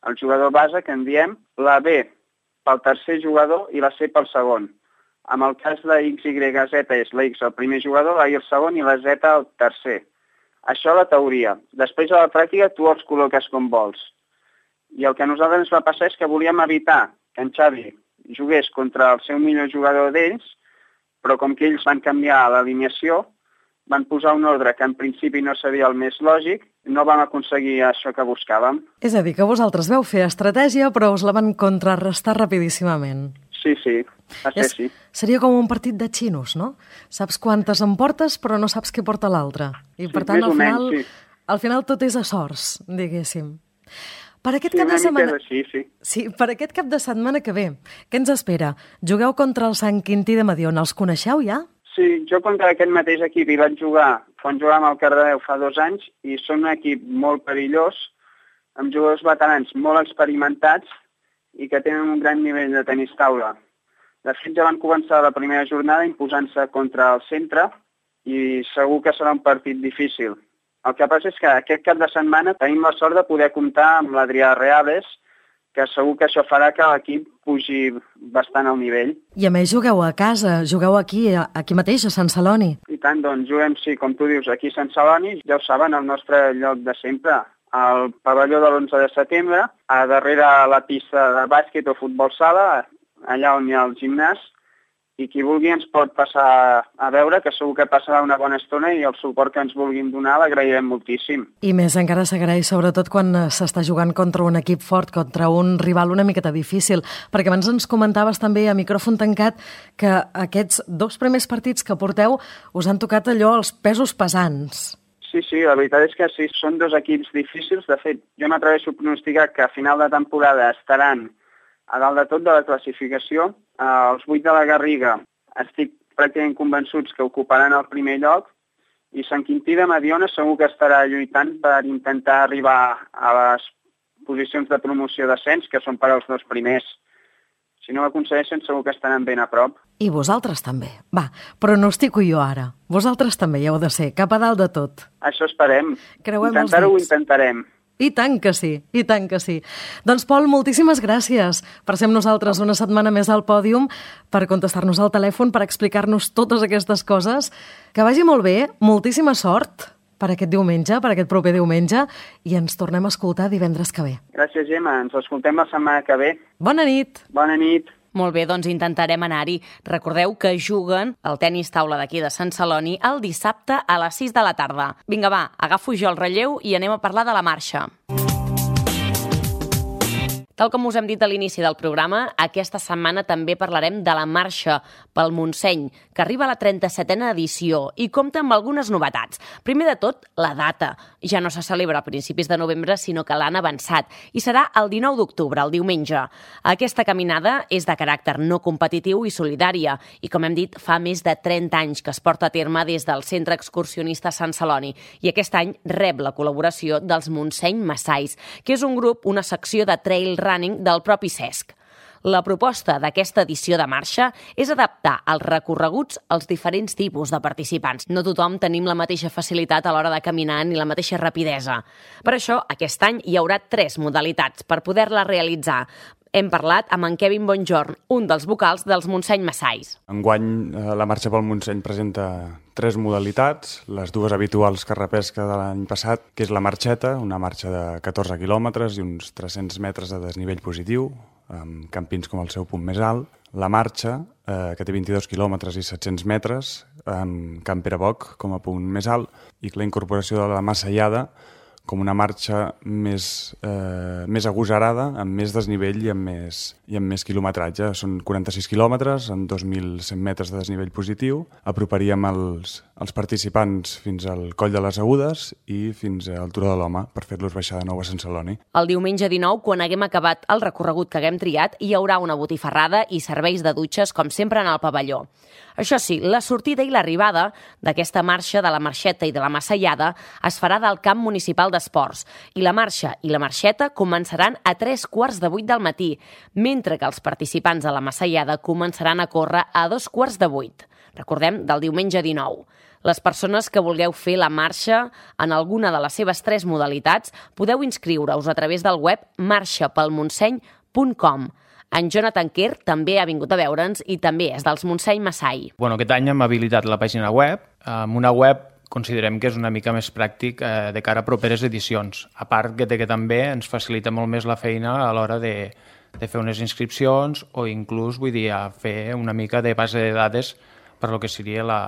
el jugador base, que en diem, la B pel tercer jugador i la C pel segon. En el cas de X, Y, Z és la X el primer jugador, la Y el segon i la Z el tercer. Això la teoria. Després a la pràctica tu els col·loques com vols. I el que a nosaltres ens va passar és que volíem evitar que en Xavi jugués contra el seu millor jugador d'ells, però com que ells van canviar l'alineació, van posar un ordre que en principi no seria el més lògic, no vam aconseguir això que buscàvem. És a dir, que vosaltres veu fer estratègia, però us la van contrarrestar rapidíssimament. Sí, sí, va ser així. Seria com un partit de xinos, no? Saps quantes en portes, però no saps què porta l'altre. I Sí, per tant, més al o final, menys, sí. al final tot és a sorts, diguéssim. Per aquest Sí, cap una de mica setmana... és així, sí. Sí, per aquest cap de setmana que ve, què ens espera? Jugueu contra el Sant Quintí de Mediona, els coneixeu ja? Sí, jo contra aquest mateix equip hi vaig jugar quan jugàvem al Cardedeu fa dos anys i són un equip molt perillós, amb jugadors veterans molt experimentats i que tenen un gran nivell de tenis taula. De fet, ja van començar la primera jornada imposant-se contra el centre i segur que serà un partit difícil. El que passa és que aquest cap de setmana tenim la sort de poder comptar amb l'Adrià Reales, que segur que això farà que l'equip pugi bastant al nivell. I a més jugueu a casa, jugueu aquí, aquí mateix, a Sant Celoni. I tant, doncs, juguem, sí, com tu dius, aquí a Sant Celoni, ja ho saben, el nostre lloc de sempre, al pavelló de l'onze de setembre, a darrere la pista de bàsquet o futbol sala, allà on hi ha el gimnàs, i qui vulgui ens pot passar a veure, que segur que passarà una bona estona i el suport que ens vulguin donar l'agrairem moltíssim. I més encara s'agraeix, sobretot quan s'està jugant contra un equip fort, contra un rival una miqueta difícil, perquè abans ens comentaves també a micròfon tancat que aquests dos primers partits que porteu us han tocat allò els pesos pesants. Sí, sí, la veritat és que sí, són dos equips difícils. De fet, jo m'atreveixo a pronosticar que a final de temporada estaran a dalt de tot de la classificació. Els vuit de la Garriga estic pràcticament convençuts que ocuparan el primer lloc i Sant Quintí de Mediona segur que estarà lluitant per intentar arribar a les posicions de promoció d'ascens, que són per als dos primers. Si no ho aconsegueixen, segur que estaran ben a prop. I vosaltres també. Va, pronostico jo ara. Vosaltres també hi heu de ser, cap a dalt de tot. Això esperem. Creuem els Intentar-ho ho dits. intentarem. I tant que sí, i tant que sí. Doncs, Pol, moltíssimes gràcies per ser amb nosaltres una setmana més al pòdium, per contestar-nos al telèfon, per explicar-nos totes aquestes coses. Que vagi molt bé, moltíssima sort per aquest diumenge, per aquest proper diumenge, i ens tornem a escoltar divendres que ve. Gràcies, Gemma. Ens escoltem la setmana que ve. Bona nit. Bona nit. Molt bé, doncs intentarem anar-hi. Recordeu que juguen al tenis taula d'aquí de Sant Celoni el dissabte a les sis de la tarda. Vinga, va, agafo jo el relleu i anem a parlar de la marxa. Tal com us hem dit a l'inici del programa, aquesta setmana també parlarem de la marxa pel Montseny, que arriba a la trenta-setena edició i compta amb algunes novetats. Primer de tot, la data. Ja no se celebra a principis de novembre, sinó que l'han avançat, i serà el dinou d'octubre, el diumenge. Aquesta caminada és de caràcter no competitiu i solidària, i com hem dit, fa més de trenta anys que es porta a terme des del Centre Excursionista Sant Celoni, i aquest any rep la col·laboració dels Montseny Massais, que és un grup, una secció de trail running del propi Cesc. La proposta d'aquesta edició de marxa és adaptar els recorreguts als diferents tipus de participants. No tothom tenim la mateixa facilitat a l'hora de caminar ni la mateixa rapidesa. Per això, aquest any hi haurà tres modalitats per poder-la realitzar. Hem parlat amb en Kevin Bonjorn, un dels vocals dels Montseny Massais. Enguany, la marxa pel Montseny presenta tres modalitats, les dues habituals que repesca de l'any passat, que és la marxeta, una marxa de catorze quilòmetres i uns tres-cents metres de desnivell positiu, amb campins com el seu punt més alt. La marxa, eh, que té vint-i-dos quilòmetres i set-cents metres, amb Camp Pere Boc com a punt més alt, i la incorporació de la Massallada com una marxa més, eh, més agosarada, amb més desnivell i amb més, i amb més quilometratge. Són quaranta-sis quilòmetres, amb dos mil cent metres de desnivell positiu. Aproparíem els, els participants fins al Coll de les Agudes i fins al Turó de l'Home, per fer-los baixar de nou a Sant Celoni. El diumenge dinou, quan haguem acabat el recorregut que haguem triat, hi haurà una botifarrada i serveis de dutxes, com sempre, en el pavelló. Això sí, la sortida i l'arribada d'aquesta marxa de la Marxeta i de la Massallada es farà del camp municipal d'esports i la marxa i la marxeta començaran a tres quarts de vuit del matí, mentre que els participants de la Massallada començaran a córrer a dos quarts de vuit. Recordem, del diumenge dinou. Les persones que vulgueu fer la marxa en alguna de les seves tres modalitats podeu inscriure-us a través del web marxa pel montseny punt com. En Jonathan Kerr també ha vingut a veure'ns i també és dels Montseny Massai. Bueno, aquest any hem habilitat la pàgina web. Amb una web considerem que és una mica més pràctic eh, de cara a properes edicions. A part que, que també ens facilita molt més la feina a l'hora de, de fer unes inscripcions o inclús, vull dir, a fer una mica de base de dades per lo que seria la,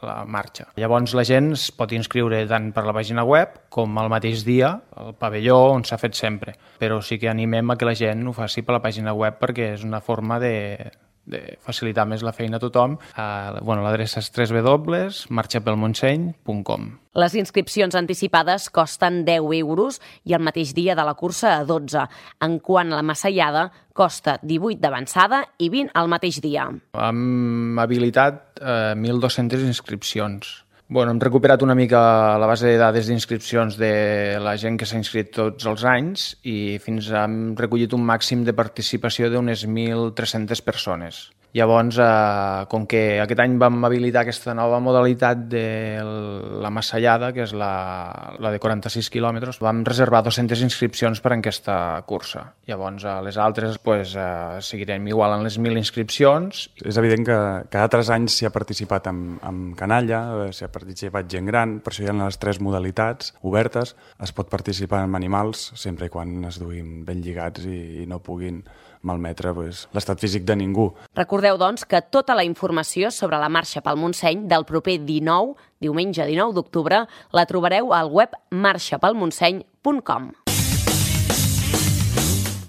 la marxa. Llavors la gent es pot inscriure tant per la pàgina web com al mateix dia al pavelló on s'ha fet sempre. Però sí que animem a que la gent ho faci per la pàgina web perquè és una forma de, de facilitar més la feina a tothom. Uh, bueno, l'adreça és w w w punt marxa pel montseny punt com. Les inscripcions anticipades costen deu euros i el mateix dia de la cursa a dotze, en quant a la Massallada costa divuit d'avançada i vint al mateix dia. Hem habilitat eh, mil dos-centes inscripcions. Bueno, hem recuperat una mica la base de dades d'inscripcions de la gent que s'ha inscrit tots els anys i fins hem recollit un màxim de participació d'unes mil tres-centes persones. Llavors, eh, com que aquest any vam habilitar aquesta nova modalitat de la Massallada, que és la, la de quaranta-sis quilòmetres, vam reservar dues-centes inscripcions per a aquesta cursa. Llavors, a les altres pues, eh, seguirem igual en les mil inscripcions. És evident que cada tres anys s'hi ha participat amb, amb canalla, s'hi ha participat gent gran, per això hi ha les tres modalitats obertes. Es pot participar amb animals, sempre i quan es duguin ben lligats i, i no puguin malmetre pues, l'estat físic de ningú. Recordeu, doncs, que tota la informació sobre la marxa pel Montseny del proper dinou, diumenge dinou d'octubre, la trobareu al web marxa pel montseny punt com.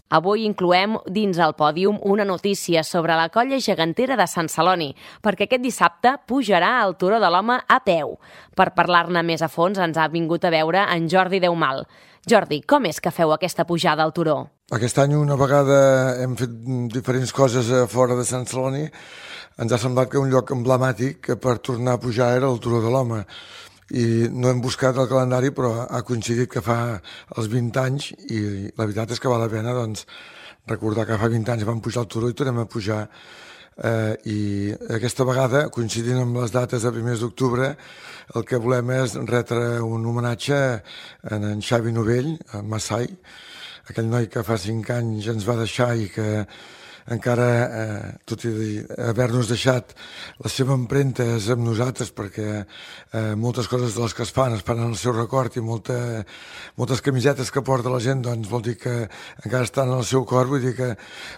Avui incloem dins el pòdium una notícia sobre la colla gegantera de Sant Celoni, perquè aquest dissabte pujarà al Turó de l'Home a peu. Per parlar-ne més a fons ens ha vingut a veure en Jordi Deumal. Jordi, com és que feu aquesta pujada al turó? Aquest any una vegada hem fet diferents coses a fora de Sant Celoni. Ens ha semblat que un lloc emblemàtic per tornar a pujar era el Turó de l'Home. I no hem buscat el calendari, però ha coincidit que fa els vint anys i la veritat és que val la pena doncs, recordar que fa vint anys vam pujar al turó i tornem a pujar. Eh, I aquesta vegada, coincidint amb les dates de primers d'octubre, el que volem és retre un homenatge a en Xavi Novell, a Massai, aquell noi que fa cinc anys ens va deixar i que encara, eh, tot i haver-nos deixat, la seva empremta és amb nosaltres perquè eh, moltes coses de les que es fan es fan en el seu record i molta, moltes camisetes que porta la gent doncs vol dir que encara estan en el seu cor, vull dir que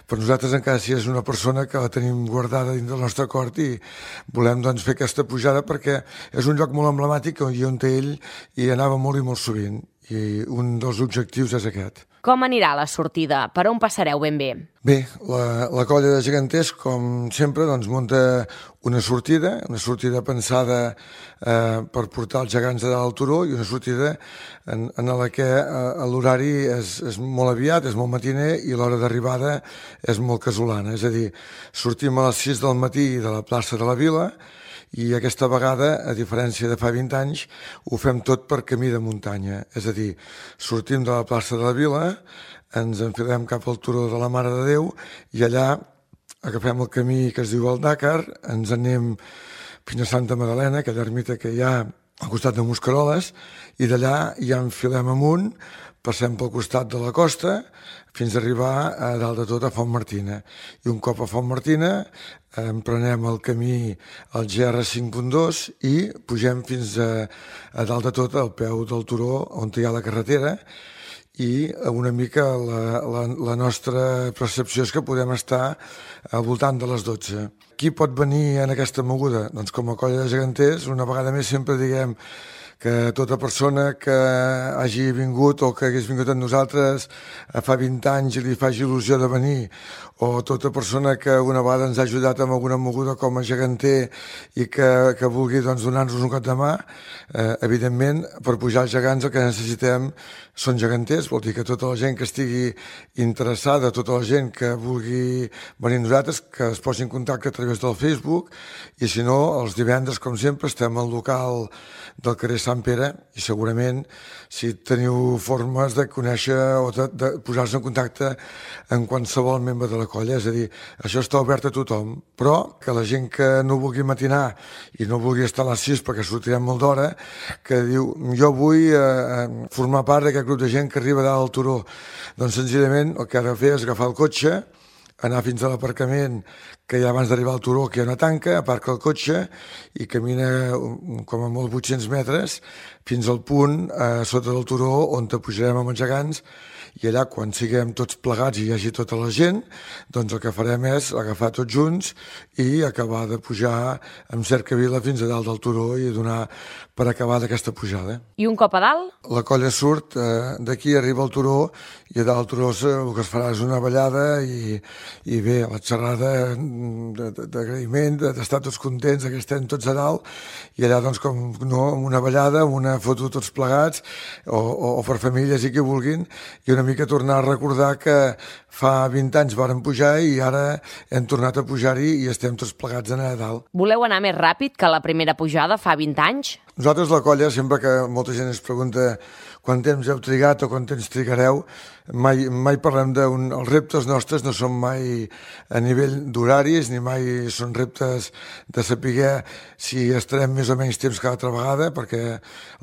per nosaltres encara sí és una persona que la tenim guardada dins del nostre cor i volem doncs fer aquesta pujada perquè és un lloc molt emblemàtic i on té ell i anava molt i molt sovint i un dels objectius és aquest. Com anirà la sortida? Per on passareu ben bé? Bé, la, la colla de geganters, com sempre, doncs, munta una sortida, una sortida pensada eh, per portar els gegants de dalt al turó i una sortida en, en la que eh, l'horari és, és molt aviat, és molt matiner i l'hora d'arribada és molt casolana. És a dir, sortim a les sis del matí de la plaça de la Vila i aquesta vegada, a diferència de fa vint anys, ho fem tot per camí de muntanya. És a dir, sortim de la plaça de la Vila, ens enfilem cap al turó de la Mare de Déu i allà agafem el camí que es diu el Dakar, ens anem fins a Santa Magdalena, aquella ermita que hi ha al costat de Mosqueroles, i d'allà ja enfilem amunt, passem pel costat de la costa fins a arribar a dalt de tot a Font Martina. I un cop a Font Martina emprenem el camí al G R cinc punt dos i pugem fins a, a dalt de tot al peu del turó on hi ha la carretera i una mica la, la, la nostra percepció és que podem estar al voltant de les dotze. Qui pot venir en aquesta moguda? Doncs com a colla de geganters, una vegada més sempre diguem que tota persona que hagi vingut o que hagués vingut amb nosaltres fa vint anys i li faci il·lusió de venir, o tota persona que una vegada ens ha ajudat amb alguna moguda com a geganter i que, que vulgui doncs, donar-nos un cop de mà, eh, evidentment, per pujar als gegants el que necessitem són geganters, vol dir que tota la gent que estigui interessada, tota la gent que vulgui venir a nosaltres, que es posi en contacte a través del Facebook, i si no, els divendres, com sempre, estem al local del carrer Sant Pere i segurament si teniu formes de conèixer o de, de posar-se en contacte amb qualsevol membre de la colla, és a dir, això està obert a tothom, però que la gent que no vulgui matinar i no vulgui estar a les sis perquè sortirem molt d'hora, que diu, jo vull eh, formar part d'aquest grup de gent que arriba dalt al turó, doncs senzillament el que ha de fer és agafar el cotxe, anar fins a l'aparcament que hi ha abans d'arribar al turó, que hi ha una tanca, aparca el cotxe i camina com a molt vuit-cents metres fins al punt eh, sota del turó on te pujarem amb els gegants, i allà quan siguem tots plegats i hi hagi tota la gent, doncs el que farem és agafar tots junts i acabar de pujar amb cercavila fins a dalt del turó i donar per acabar d'aquesta pujada. I un cop a dalt? La colla surt eh, d'aquí, arriba al turó, i a dalt del turó el que es farà és una ballada i, i bé, la xerrada d'agraïment, d'estar tots contents que estem tots a dalt, i allà doncs com no, una ballada, una foto tots plegats, o, o, o per famílies i qui vulguin, i una mica tornar a recordar que fa vint anys vàrem pujar i ara hem tornat a pujar-hi i estem tots plegats a anar a dalt. Voleu anar més ràpid que la primera pujada fa vint anys? Nosaltres, la colla, sempre que molta gent ens pregunta quant temps heu trigat o quant temps trigareu, mai, mai parlem d'un... Els reptes nostres no són mai a nivell d'horaris, ni mai són reptes de saber si estarem més o menys temps que l'altra vegada, perquè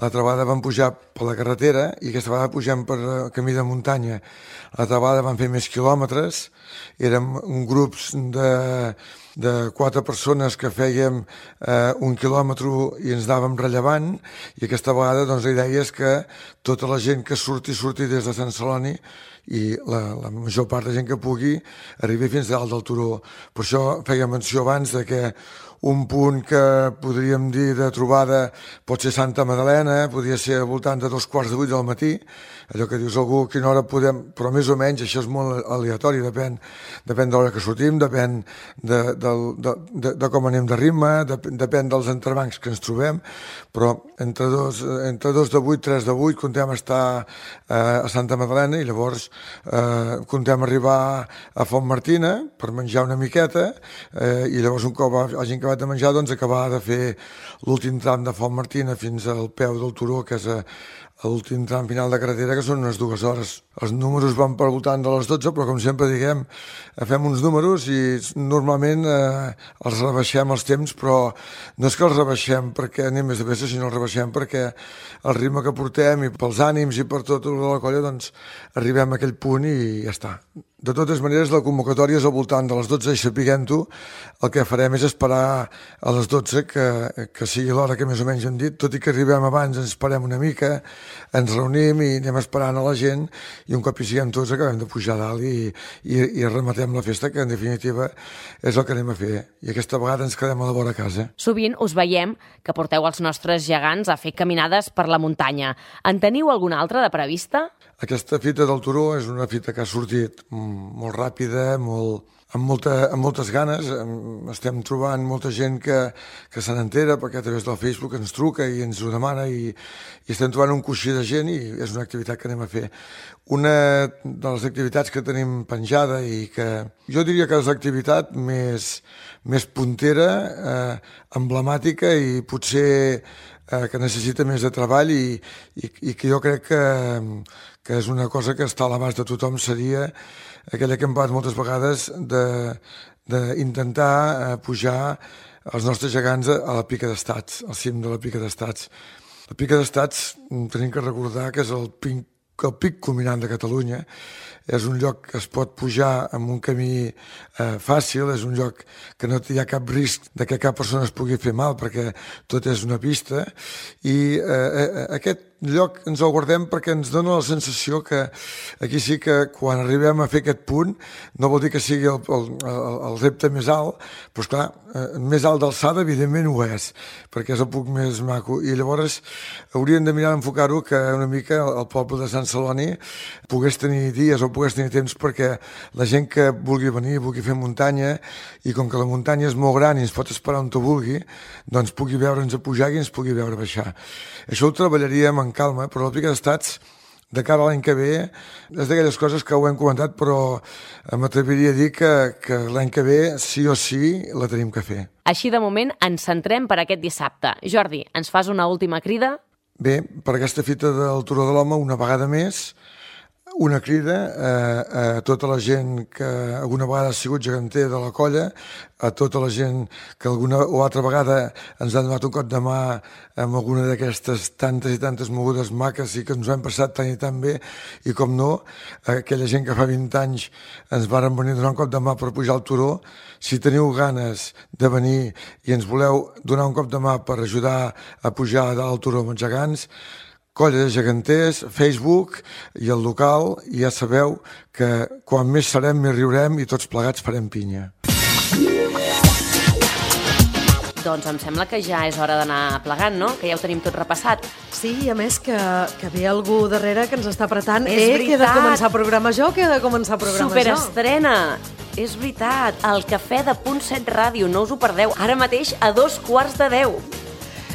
l'altra vegada vam pujar per la carretera i aquesta vegada pugem per camí de muntanya. L'altra vegada vam fer més quilòmetres, érem grups de... de quatre persones que fèiem eh, un quilòmetre i ens anàvem rellevant, i aquesta vegada doncs, la idea és que tota la gent que surti, surti des de Sant Celoni i la, la major part de gent que pugui arribi fins dalt del turó. Per això feia menció abans de que un punt que podríem dir de trobada pot ser Santa Madalena, podria ser al voltant de dos quarts de vuit del matí, allò que dius algú a quina hora podem, però més o menys això és molt aleatori, depèn, depèn de l'hora que sortim, depèn de, de, de, de, de com anem de ritme, de, depèn dels entrebancs que ens trobem, però entre dos, entre dos de vuit, tres de vuit, contem estar eh, a Santa Madalena i llavors eh, contem arribar a Font Martina per menjar una miqueta eh, i llavors un cop hagin acabat de menjar, doncs acabar de fer l'últim tram de Font Martina fins al peu del turó, que és a, a l'últim tram final de carretera, que són unes dues hores. Els números van per voltant de les dotze, però com sempre diguem, fem uns números i normalment eh, els rebaixem els temps, però no és que els rebaixem perquè anem més de pressa, sinó els rebaixem perquè el ritme que portem i pels ànims i per tota la colla, doncs arribem a aquell punt i ja està. De totes maneres, la convocatòria és al voltant de les dotze i sapiguem-ho, el que farem és esperar a les dotze que, que sigui l'hora que més o menys hem dit, tot i que arribem abans, ens esperem una mica, ens reunim i anem esperant a la gent i un cop hi siguem tots acabem de pujar a dalt i, i, i rematem la festa, que en definitiva és el que anem a fer. I aquesta vegada ens quedem a la vora casa. Sovint us veiem que porteu els nostres gegants a fer caminades per la muntanya. En teniu alguna altra de prevista? Aquesta fita del turó és una fita que ha sortit molt ràpida, molt, amb, molta, amb moltes ganes. Estem trobant molta gent que, que se n'entera perquè a través del Facebook ens truca i ens ho demana i, i estem trobant un coixí de gent i és una activitat que anem a fer. Una de les activitats que tenim penjada i que jo diria que és l'activitat més, més puntera, eh, emblemàtica i potser eh, que necessita més de treball i, i, i que jo crec que que és una cosa que està a l'abast de tothom, seria aquella que hem parlat moltes vegades d'intentar eh, pujar els nostres gegants a la Pica d'Estats, al cim de la Pica d'Estats. La Pica d'Estats tenim que recordar que és el pic, el pic culminant de Catalunya, és un lloc que es pot pujar amb un camí eh, fàcil, és un lloc que no hi ha cap risc de que cap persona es pugui fer mal perquè tot és una pista i eh, aquest lloc ens el guardem perquè ens dona la sensació que aquí sí que quan arribem a fer aquest punt no vol dir que sigui el, el, el, el repte més alt, però esclar, eh, més alt d'alçada evidentment ho és, perquè és el punt més maco, i llavors hauríem de mirar d'enfocar-ho que una mica el poble de Sant Celoni pogués tenir dies o pogués tenir temps perquè la gent que vulgui venir, vulgui fer muntanya, i com que la muntanya és molt gran i ens pot esperar on te vulgui, doncs pugui veure'ns a pujar i ens pugui veure a baixar. Això ho treballaríem en calma, però el pic d'estats de cara a l'any que ve és d'aquelles coses que ho hem comentat, però m'atreviria a dir que, que l'any que ve sí o sí la tenim que fer. Així de moment ens centrem per aquest dissabte. Jordi, ens fas una última crida? Bé, per aquesta fita del Turó de l'Home, una vegada més, una crida a, a tota la gent que alguna vegada ha sigut geganter de la colla, a tota la gent que alguna o altra vegada ens ha donat un cop de mà amb alguna d'aquestes tantes i tantes mogudes maques i que ens ho hem passat tan i tan bé, i com no, aquella gent que fa vint anys ens varen venir a donar un cop de mà per pujar al turó. Si teniu ganes de venir i ens voleu donar un cop de mà per ajudar a pujar a dalt al turó amb els gegants, Colla de Geganters, Facebook i el local, i ja sabeu que quan més serem més riurem i tots plegats farem pinya. Doncs em sembla que ja és hora d'anar plegant, no? Que ja ho tenim tot repassat. Sí, i a més que, que ve algú darrere que ens està apretant. És eh, veritat. Que he de començar a programar jo, que he de començar a programar Superestrena! Jo. És veritat, el cafè de Punt set Ràdio, no us ho perdeu, ara mateix a dos quarts de deu.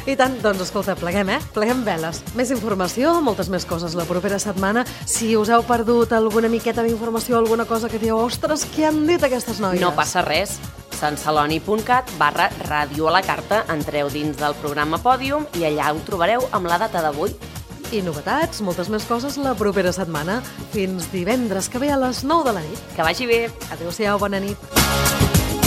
I tant, doncs escolta, pleguem, eh? Pleguem veles. Més informació, moltes més coses la propera setmana. Si us heu perdut alguna miqueta d'informació, alguna cosa que dieu, ostres, què han dit aquestes noies? No passa res. santceloni.cat barra ràdio a la carta. Entreu dins del programa Pòdium i allà ho trobareu amb la data d'avui. I novetats, moltes més coses la propera setmana. Fins divendres que ve a les nou de la nit. Que vagi bé. Adéu-siau, bona nit.